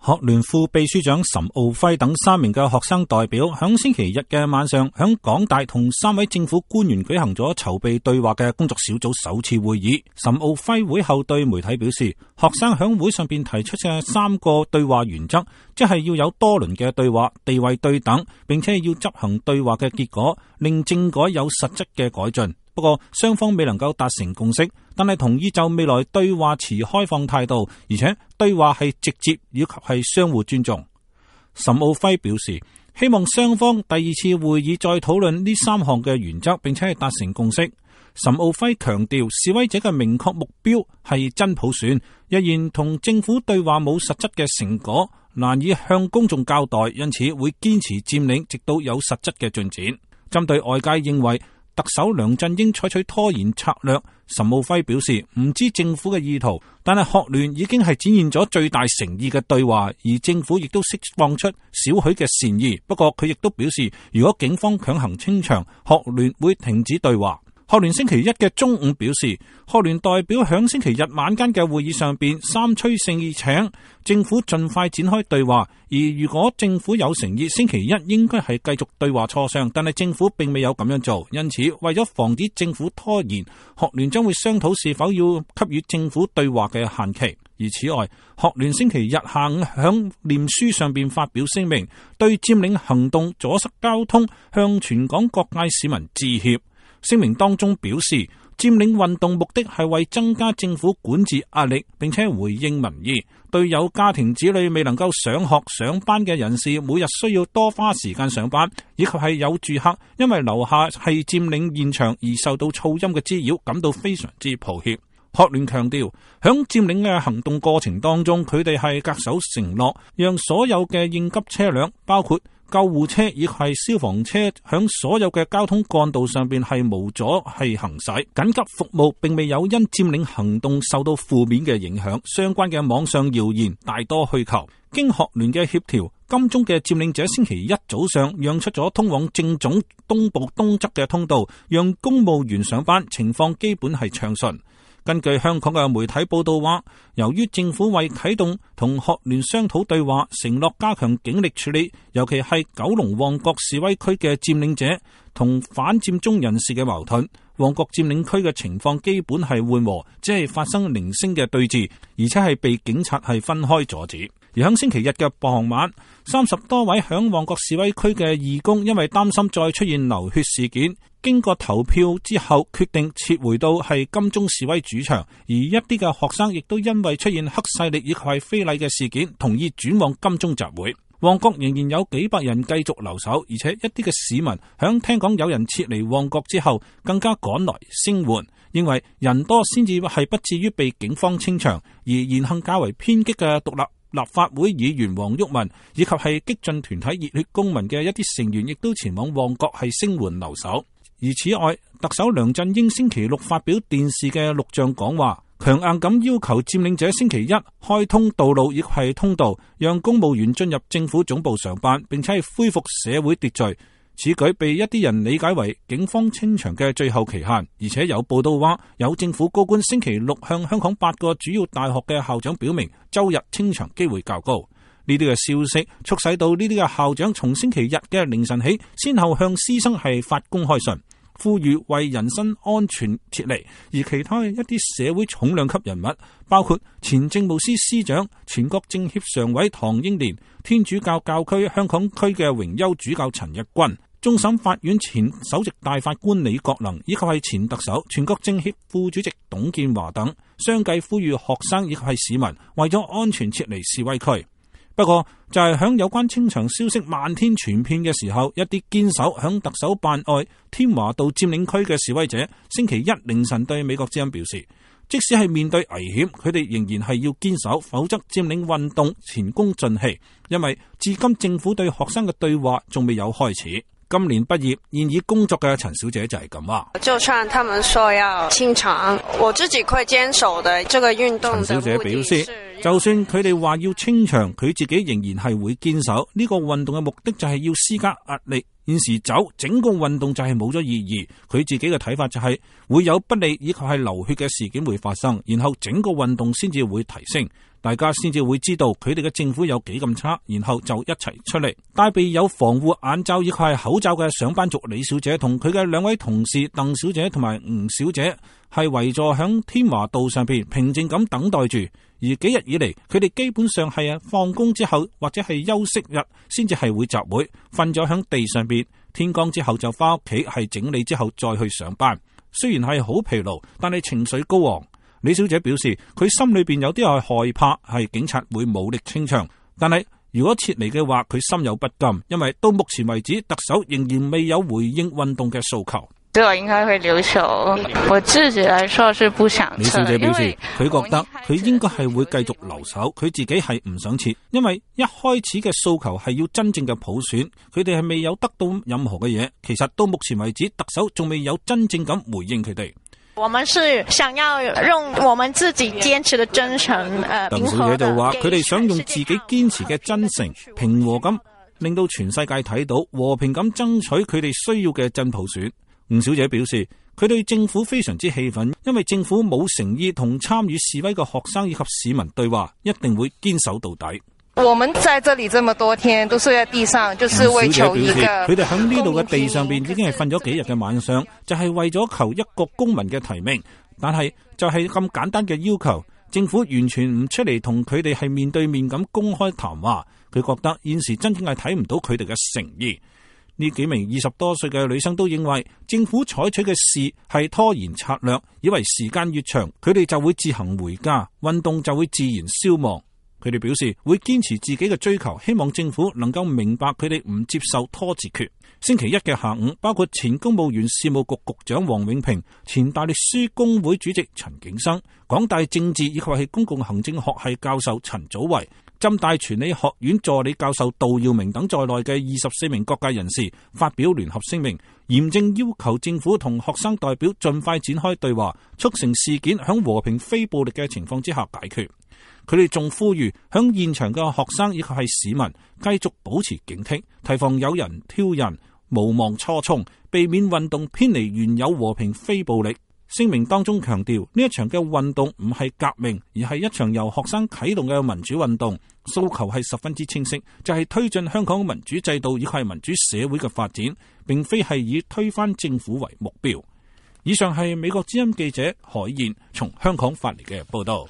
學聯副秘書長岑敖暉等3名嘅學生代表響星期日嘅晚上響港大同3位政府官員舉行咗籌備對話嘅工作小組首次會議。岑敖暉會後對媒體表示，學生響會上邊提出嘅3個對話原則，即係要有多輪嘅對話，地位對等，並且要執行對話嘅結果，令政改有實質嘅改進。不過雙方未能夠達成共識，但係同意就未來對話持開放態度，而且對話係直接以及係相互尊重。岑敖暉表示，希望雙方第2次會議再討論呢3項嘅原則，並且係達成共識。岑敖暉強調，示威者嘅明確目標係真普選，若然同政府對話冇實質嘅成果，難以向公眾交代，因此會堅持佔領，直到有實質嘅進展。針對外界認為特首梁振英採取拖延策略，岑敖暉表示唔知政府嘅意圖，但係學聯已經係展現咗最大誠意嘅對話，而政府亦都釋放出少許嘅善意。不過佢亦都表示，如果警方強行清場，學聯會停止對話。學聯星期一嘅中午表示，學聯代表響星期日晚間嘅會議上邊三催四請政府盡快展開對話，而如果政府有誠意，星期一應該係繼續對話磋商，但係政府並未有咁樣做，因此為咗防止政府拖延，學聯將會商討是否要給予政府對話嘅限期。而此外，學聯星期日下午響臉書上邊發表聲明，對佔領行動阻塞交通向全港各界市民致歉。聲明當中表示，佔領運動目的係為增加政府管治壓力，並且回應民意。對有家庭子女未能夠上學上班嘅人士，每日需要多花時間上班，以及係有住客因為樓下係佔領現場而受到噪音嘅滋擾，感到非常之抱歉。學聯強調，響佔領嘅行動過程當中，佢哋係恪守承諾，讓所有嘅應急車輛，包括救護車以及係消防車，響所有嘅交通幹道上邊係無阻係行駛。緊急服務並未有因佔領行動受到負面嘅影響。相關嘅網上謠言大多虛構。經學聯嘅協調，金鐘嘅佔領者星期一早上讓出咗通往政總東部東側嘅通道，讓公務員上班，情況基本係暢順。根據香港嘅媒體報道話，由於政府為啟動同學聯商討對話，承諾加強警力處理，尤其係九龍旺角示威區嘅佔領者同反佔中人士嘅矛盾，旺角佔領區嘅情況基本係緩和，只係發生零星嘅對峙，而且係被警察係分開阻止。而喺星期日嘅傍晚，30多位響旺角示威區嘅義工因為擔心再出現流血事件，經過投票之後決定撤回到係金鐘示威主場，而一啲嘅學生亦都因為出現黑勢力以及係非禮嘅事件，同意轉往金鐘集會。旺角仍然有幾百人繼續留守，而且一啲嘅市民響聽講有人撤離旺角之後，更加趕來聲援，認為人多先至係不至於被警方清場。而言行較為偏激嘅獨立法會議員黃毓民以及係激進團體熱血公民嘅一啲成員，亦都前往旺角係聲援留守。而此外，特首梁振英星期六發表電視嘅錄像講話，強硬咁要求佔領者星期一開通道路亦係通道，讓公務員進入政府總部上班，並且係恢復社會秩序。此舉被一啲人理解為警方清場嘅最後期限，而且有報道話有政府高官星期六向香港8個主要大學嘅校長表明，周日清場機會較高。呢啲嘅消息促使到呢啲嘅校長從星期日嘅凌晨起，先後向師生係發公開信，呼籲為人身安全撤離。而其他一啲社會重量級人物，包括前政務司司長、全國政協常委唐英年、天主教教區香港區嘅榮休主教陳日君、終審法院前首席大法官李國能，以及係前特首、全國政協副主席董建華等，相繼呼籲學生以及係市民為咗安全撤離示威區。不過就係響有關清場消息漫天傳遍嘅時候，一啲堅守響特首辦外添華道佔領區嘅示威者，星期一凌晨對美國之音表示，即使係面對危險，佢哋仍然係要堅守，否則佔領運動前功盡棄。因為至今政府對學生嘅對話仲未有開始。今年畢業現已工作嘅陳小姐就係咁話，就算他們說要清場，我自己會堅守的。這個運動的陳小姐表示，就算佢哋話要清場，佢自己仍然係會堅守。呢個運動嘅目的就係要施加壓力。現時走，整個運動就係冇咗意義。佢自己嘅睇法就係會有不利以及係流血嘅事件會發生，然後整個運動先至會提升。大家先至會知道佢哋嘅政府有幾咁差，然後就一齊出嚟。戴備有防護眼罩以及係口罩嘅上班族李小姐同佢嘅兩位同事鄧小姐同埋吳小姐係圍坐響添華道上邊平靜咁等待住。而幾日以嚟，佢哋基本上係放工之後或者係休息日先至係會集會，瞓咗響地上邊，天光之後就翻屋企係整理之後再去上班。雖然係好疲勞，但係情緒高昂。李小姐表示，佢心裏邊有啲係害怕，係警察會武力清場。但係如果撤離嘅話，佢心有不甘，因為到目前為止，特首仍然未有回應運動嘅訴求。我應該會留守，我自己來說是不想撤。李小姐表示，佢覺得佢應該係會繼續留守，佢自己係唔想撤，因為一開始嘅訴求係要真正嘅普選，佢哋係未有得到任何嘅嘢。其實到目前為止，特首仲未有真正咁回應佢哋。我們是想要用我們自己堅持的真誠，鄧小姐就話，佢哋想用自己堅持嘅真誠、平和咁，令到全世界睇到和平咁爭取佢哋需要嘅真普選。吳小姐表示，佢對政府非常之氣憤，因為政府冇誠意同參與示威嘅學生以及市民對話，一定會堅守到底。我們在這裏這麼多天都睡在地上，就是為求一個。佢哋喺呢度嘅地上邊已經係瞓咗幾日嘅晚上，就係為咗求一個公民嘅提名。但係就係咁簡單嘅要求，政府完全唔出嚟同佢哋係面對面咁公開談話。佢覺得現時真正係睇唔到佢哋嘅誠意。呢幾名20多歲嘅女生都認為政府採取嘅事係拖延策略，以為時間越長，佢哋就會自行回家，運動就會自然消亡。佢哋表示會堅持自己嘅追求，希望政府能夠明白佢哋唔接受拖字訣。星期一嘅下午，包括前公務員事務局局長王永平、前大律師公會主席陳景生、港大政治以及係公共行政學系教授陳祖維、浸大傳理學院助理教授杜耀明等在內嘅24名各界人士發表聯合聲明，嚴正要求政府同學生代表盡快展開對話，促成事件響和平非暴力嘅情況之下解決。佢哋仲呼籲響現場嘅學生以及係市民繼續保持警惕，提防有人挑釁，無忘初衷，避免運動偏離原有和平非暴力。聲明當中強調，呢一場嘅運動唔係革命，而係一場由學生啟動嘅民主運動，訴求係十分之清晰，就係推進香港民主制度以及係民主社會嘅發展，並非係以推翻政府為目標。以上係美國之音記者海燕從香港發嚟嘅報道。